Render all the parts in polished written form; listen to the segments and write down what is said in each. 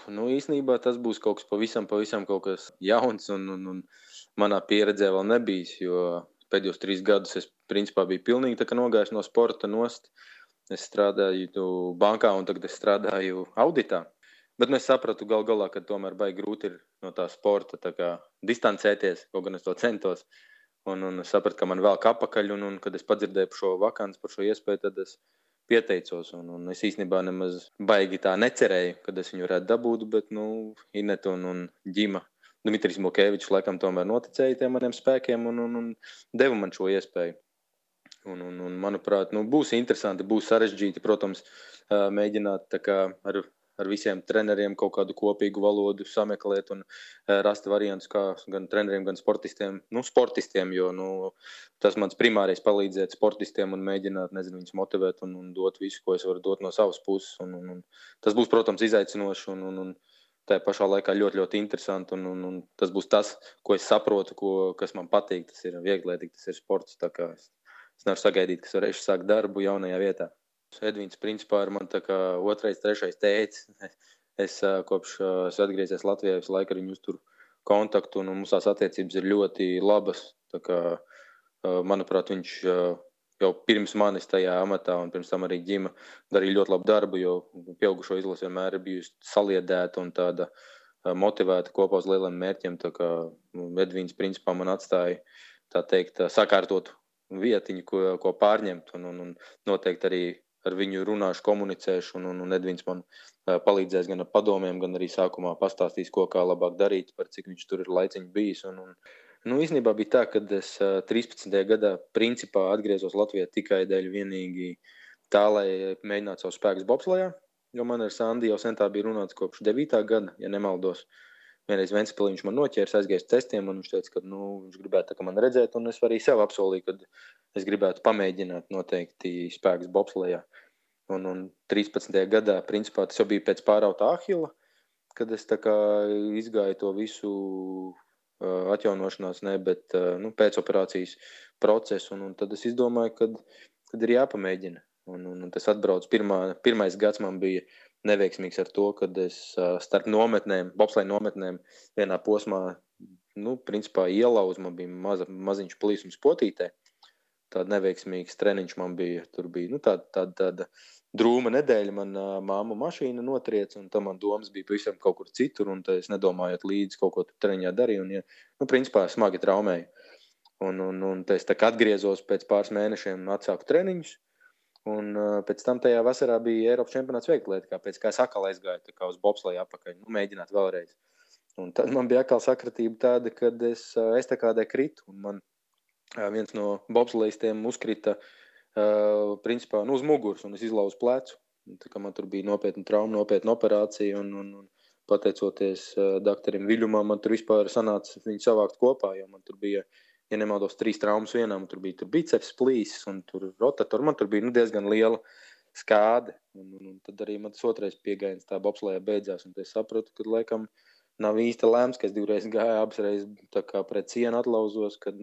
Nu, īstenībā tas būs kaut kas pavisam kaut kas jauns un manā pieredzē vēl nebijis, jo pēdējos 3 gadus es principā biju pilnīgi tā kā nogājis no sporta nost. Es strādāju bankā un tagad es strādāju auditā. Bet nu, es sapratu gal galā, ka tomēr baigi grūti ir no tā sporta tā kā distancēties, kaut gan es to centos. Un es sapratu, ka man vēl apakaļ, un kad es padzirdēju par šo vakanci, par šo iespēju, tad es pieteicos. Un es īstenībā nemaz baigi tā necerēju, kad es viņu varētu dabūt, bet Ineta un Ģima Dmitrijs Mukevičs laikam tomēr noticēja tiem maniem spēkiem un deva man šo iespēju. Un manuprāt, būs interesanti, būs sarežģīti, protams, mēģināt tā kā ar visiem treneriem kaut kādu kopīgu valodu sameklēt un rast variantus, kā gan treneriem, gan sportistiem, jo tas mans primārais palīdzēt sportistiem un mēģināt, viņus motivēt un dot visu, ko es varu dot no savas puses. Un tas būs, protams, izaicinoši un tā pašā laikā ļoti, ļoti interesanti. Un tas būs tas, ko es saprotu, kas man patīk. Tas ir vieglietīgs, tas ir sports. Tā kā es nevaru sagaidīt, ka es varēšu sākt darbu jaunajā vietā. Edvīns principā ir man tā kā 2., 3. tētis. Es kopš es atgriezies Latvijā, visu laiku ar viņu uzturu kontaktu, un mums tās attiecības ir ļoti labas. Tā kā, manuprāt, viņš jau pirms manis tajā amatā un pirms tam arī Ģima darīja ļoti labu darbu, jo pieaugušo izlase vienmēr ir bijusi saliedēta un tāda motivēta kopā uz lieliem mērķiem. Tā kā Edvīns principā man atstāja, tā teikt, sakārtot vietiņu, ko pārņemt, un noteikti arī ar viņu runāšu, komunicēšu, un Edvīns man palīdzēs gan ar padomiem, gan arī sākumā pastāstīs, kā labāk darīt, par cik viņš tur ir laiciņš bijis. Īstenībā bija tā, ka es 13. gadā principā atgriezos Latvijā tikai dēļ vienīgi tā, lai mēģinātu savus spēkus bobslejā, jo man ar Sandi jau sen tā bija runāts kopš 9. gada, ja nemaldos. Vienreiz Ventspilī viņš man noķērs, aizgājis testiem, un viņš teica, ka viņš gribētu man redzēt, un es arī sev apsolīju, ka es gribētu pamēģināt noteikti spēkus bobslejā. Un 13. gadā, principā, tas jau bija pēc pārautā Ahila, kad es tā kā izgāju to visu atjaunošanās, bet pēc operācijas procesu, un tad es izdomāju, kad ir jāpamēģina. Un tas atbrauc pirmais gads man bija neveiksmīgs ar to, kad es starp bobsleja nometnēm vienā posmā, principā ielauzu, man bija maziņš plīsums potītē. Tāda neveiksmīgs treniņš man bija. Tur bija tāda drūma nedēļa, man māma mašīna notriec, un tam man domas bija pavisam kaut kur citur, un es nedomājot līdzi kaut ko tur treniņā darīju, un principā smagi traumēju. Un es tā kā atgriezos pēc pāris mēnešiem un atsāku treniņus, un pēc tam tajā vasarā bija Eiropas čempionāts vieglietikā, pēc kā es atkal aizgāju tā kā uz bobsleju apakaļ, mēģināt vēlreiz. Un tad man bija atkal sakratība tāda, kad es estakādē kritu, un man viens no bobslejistiem uzkrita principā uz muguras, un es izlauzu plecu. Tā kā man tur bija nopietna trauma, nopietna operācija, un pateicoties doktorim Viļumam, man tur vispār sanāca viņu savākt kopā, jo man tur bija, ja nemaldos, 3 traumas vienā, man tur bija biceps plīsis, un tur rotatori, man tur bija diezgan liela skāde, un tad arī man tas otrais piegājiens tā bobslejā beidzās, un es sapratu, ka laikam nav īsta lēms, ka es 2 reizes gāju, abas reizes tā kā pret sienu atlauzos, kad,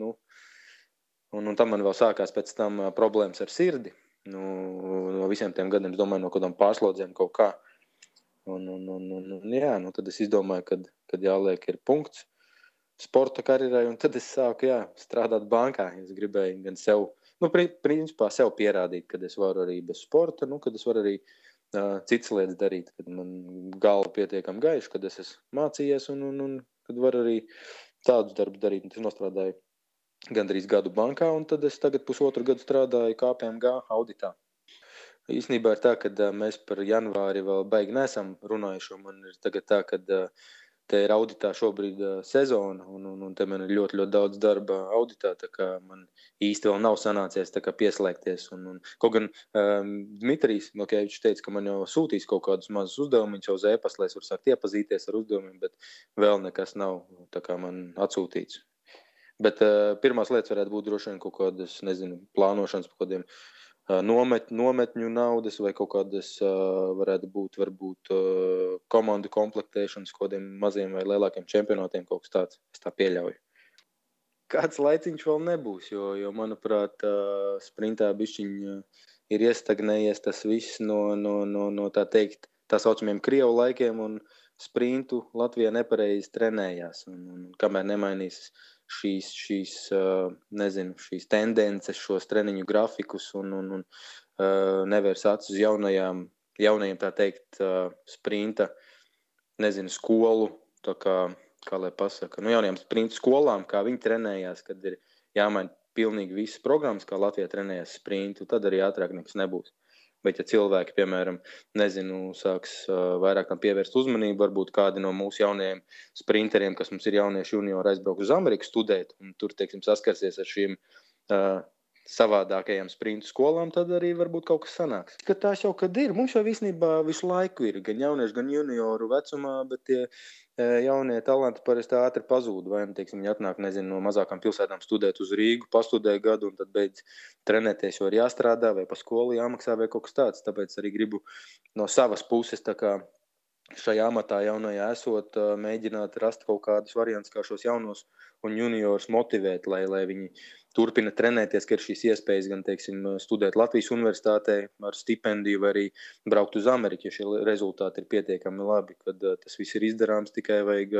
un tam man vēl sākās pēc tam problēmas ar sirdi. No visiem tiem gadiem, es domāju, no kādām pārslodzēm kaut kā. Jā, tad es izdomāju, kad jāliek ir punkts sporta karjerai, un tad es sāku, strādāt bankā. Es gribēju gan sev, principā sev pierādīt, kad es varu arī bez sporta, kad es varu arī citas lietas darīt, kad man galva pietiekam gaiša, kad es esmu mācījies, un kad varu arī tādus darbus darīt. Un es nostrādāju gandrīz gadu bankā, un tad es tagad 1,5 gadu strādāju KPMG auditā. Īstenībā ir tā, ka mēs par janvāri vēl baigi neesam runājuši, un man ir tagad tā, ka te ir auditā šobrīd sezona, un te man ir ļoti, ļoti daudz darba auditā, tā kā man īsti vēl nav sanācies tā kā pieslēgties. Kaut gan Dmitrijs Mukevičs teica, ka man jau sūtīs kaut kādus mazus uzdevumus jau uz e-pasta, lai es varu sākt iepazīties ar uzdevumiem, bet vēl nekas nav tā kā man atsūtīts. Bet pirmās lietas varētu būt droši vien kaut kādas, plānošanas par kādiem nometņu naudas vai kaut kādas varētu būt varbūt komandu komplektēšanas kādiem maziem vai lielākiem čempionātiem, kaut kas tāds, es tā pieļauju. Kāds laiciņš vēl nebūs, jo manuprāt, sprintā bišķiņ ir iestagnējies tas viss no tā teikt, tā saucamiem Krievu laikiem, un sprintu Latvijā nepareizi trenējās. Un kamēr nemainīs šīs tendences, šos treniņu grafikus un nevērs acis uz jaunajiem, tā teikt, sprinta, skolu, tā kā lai pasaka, jaunajām sprinta skolām, kā viņi trenējās, kad ir jāmaina pilnīgi visas programmas, kā Latvijā trenējās sprintu, tad arī ātrāk nekas nebūs. Bet ja cilvēki, piemēram, sāks vairāk tam pievērst uzmanību, varbūt kādi no mūsu jaunajiem sprinteriem, kas mums ir jaunieši juniori, aizbrauks uz Ameriku studēt, un tur, teiksim, saskarsies ar šīm savādākajām sprintu skolām, tad arī varbūt kaut kas sanāks. Ka tās jau kad ir, mums jau visnībā visu laiku ir, gan jaunieši, gan junioru vecumā, bet tie jaunie talanti parasti ātri pazūd, vai, teiksim, viņi atnāk, no mazākām pilsētām studēt uz Rīgu, pastudē gadu, un tad beidz trenēties, jo ir jāstrādā, vai pa skolu jāmaksā, vai kaut kas tāds. Tāpēc arī gribu no savas puses, tā kā šajā amatā jaunajā esot, mēģināt rast kaut kādus variantus, kā šos jaunos un juniorus motivēt, lai viņi turpina trenēties, ka ir šīs iespējas gan, teiksim, studēt Latvijas universitātē ar stipendiju vai arī braukt uz Ameriku, ja šie rezultāti ir pietiekami labi, kad tas viss ir izdarāms, tikai vajag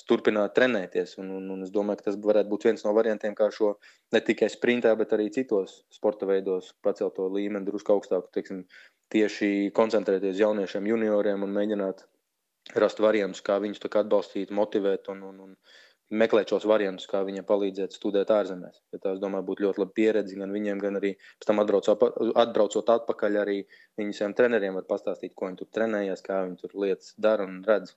turpināt trenēties. Un es domāju, ka tas varētu būt viens no variantiem, kā šo ne tikai sprintā, bet arī citos sporta veidos pacelt to līmeni drusku augstāku, teiksim, tieši koncentrēties jauniešiem, junioriem un mēģināt rast variantus, kā viņus tā kā atbalstīt, motivēt un meklēt šos variantus, kā viņiem palīdzēt studēt ārzemēs. Ja tā, es domāju, būtu ļoti laba pieredze gan viņiem, gan arī pēc tam atbraucot atpakaļ arī viņu saviem treneriem var pastāstīt, ko viņi tur trenējās, kā viņi tur lietas dara un redz.